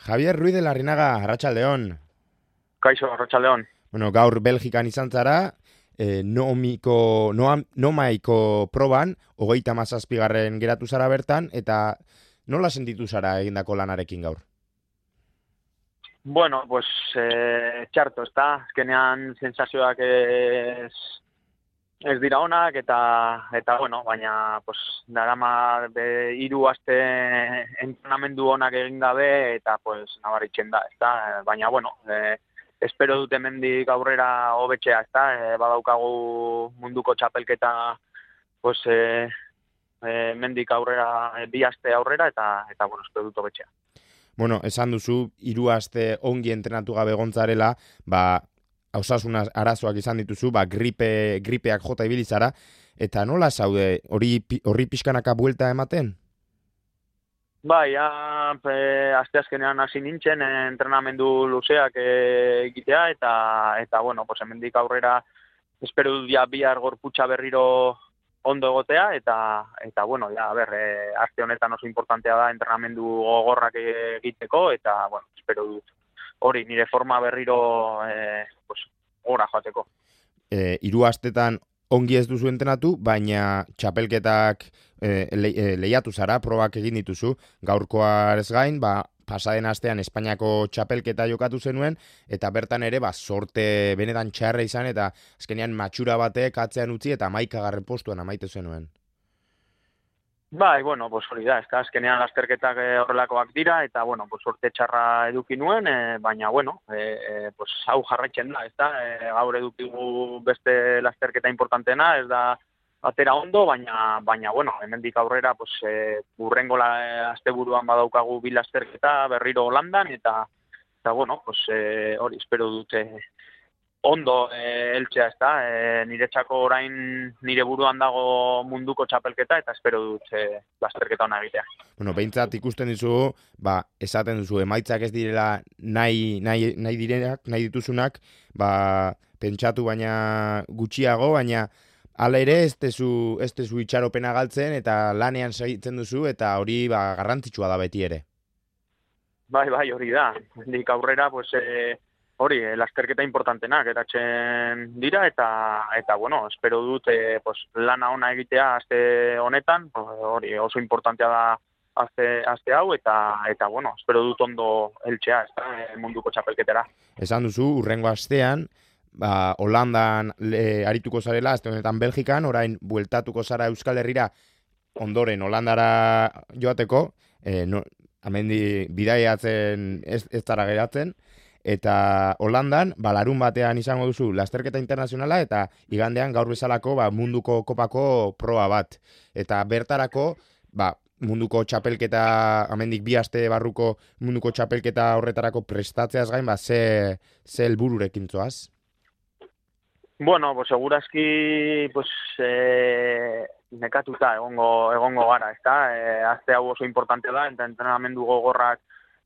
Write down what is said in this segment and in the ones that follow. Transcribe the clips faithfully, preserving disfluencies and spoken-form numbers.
Javier Ruiz de Larrinaga, Arratsaldeon. Kaixo, Arratsaldeon. Bueno, gaur Belgikan izan zara, e, nomiko, noam, nomaiko proban, hogeita mazazpigarren geratu zara bertan, eta nola sentitu zara egindako lanarekin gaur? Bueno, pues eh, txarto, ezta? Azkenean sensazioak ez, ez dira onak, eta, eta bueno, baina pues, darama be, hiru aste entrenamendu onak egin gabe, eta pues, nabaritzen da, ezta? Baina, bueno, eh, espero dut hemendik aurrera hobetzea, ezta? E, badaukagu munduko txapelketa, pues, e, e, hemendik aurrera, e, bi aste aurrera, eta, eta bueno, espero dut hobetzea. Bueno, esan duzu, hiru aste ongi entrenatu gabe gontzarela, ba, osasun arazoak izan dituzu, ba, gripe, gripeak jota ibili zara, eta nola zaude, hori horri pixkanaka buelta ematen? Bai, ja, e, asteazkenean hasi nintzen, e, entrenamendu luzeak e, egitea, eta, eta bueno, pues hemendik aurrera espero dut ja bihar gorputza berriro ondo egotea, eta, eta bueno, ja, a ber, e, aste honetan oso importantea da entrenamendu gogorrak egiteko, eta, bueno, espero dut hori, nire forma berriro e, pues, gora joateko. E, hiru astetan ongi ez duzu entrenatu, baina txapelketak e, le, e, lehiatu zara, probak egin dituzu, gaurkoa ez gain, ba, pasaden astean Espainiako txapelketa jokatu zenuen, eta bertan ere, ba, sorte benetan txarra izan, eta azkenean matxura batek atzean utzi, eta hamaikagarren postuan amaitu zenuen. Bai, bueno, pues hori da, ezta, azkenean lasterketak e, horrelakoak dira, eta, bueno, pues sorte txarra eduki nuen, e, baina, bueno, e, e, pues hau jarraitzen da, ezta, e, gaur edukigu beste lasterketa importantena, ez da atera ondo, baina, baina bueno, hemendik aurrera, pues, e, burrengo la, asteburuan badaukagu bi lasterketa berriro Holandan, eta, eta bueno, pues, e, hori, espero dute ondo e, eltzea, ezta, e, niretzako orain nire buruan dago munduko txapelketa, eta espero dut e, lasterketa ona egitea. Bueno, behintzat ikusten dizugu, ba, esaten duzu, emaitzak ez direla nahi, nahi, nahi direnak, nahi dituzunak, ba, pentsatu baina gutxiago, baina hala ere ez tezu, ez tezu itxaropena galtzen, eta lanean segitzen duzu, eta hori ba, garrantzitsua da beti ere. Bai, bai, hori da. Dik aurrera, pues, e, hori, e, lasterketa importantenak eratzen dira, eta, eta bueno, espero dut e, pues, lana ona egitea aste honetan, hori oso importantea da aste, aste hau, eta, eta bueno, espero dut ondo heltzea, ez da, munduko txapelketera. Esan duzu, urrengo astean, ba, Holandan le, arituko zarela, aste honetan Belgikan, orain bueltatuko zara Euskal Herrira, ondoren Holandara joateko, e, no, amendi bidaiatzen ez, ez zara geratzen, eta Holandan, ba, larun batean izango duzu lasterketa internazionala, eta igandean gaur bezalako ba, munduko kopako proba bat. Eta bertarako, ba, munduko txapelketa, amendik bi aste barruko munduko txapelketa horretarako prestatzeaz gain, ba, ze, ze helbururekin zoaz? Bueno, pues segurazki pues, eh, nekatuta egongo, egongo gara, ezta? Eh, azte hau oso importante da, eta entrenamendu gogorrak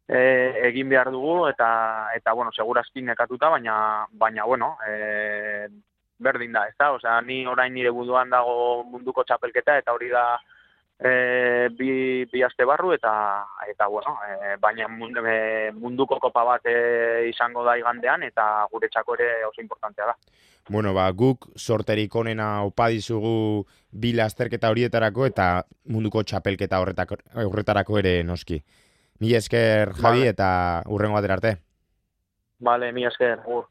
eh, egin behar dugu, eta, eta bueno, segurazki nekatuta, baina, baina bueno, eh, berdin da, ezta? Osea, ni orain nire buduan dago munduko txapelketa, eta hori da e, bi, bi aste barru, eta, eta bueno, e, baina munduko kopa bat e, izango da igandean, eta guretzako ere oso importantea da. Bueno, ba, guk sorterik onena opa dizugu bi lasterketa horietarako eta munduko txapelketa horretako, horretarako ere noski. Mila esker, Javi, Vale. eta hurrengo batera arte. Vale, mila esker, gur.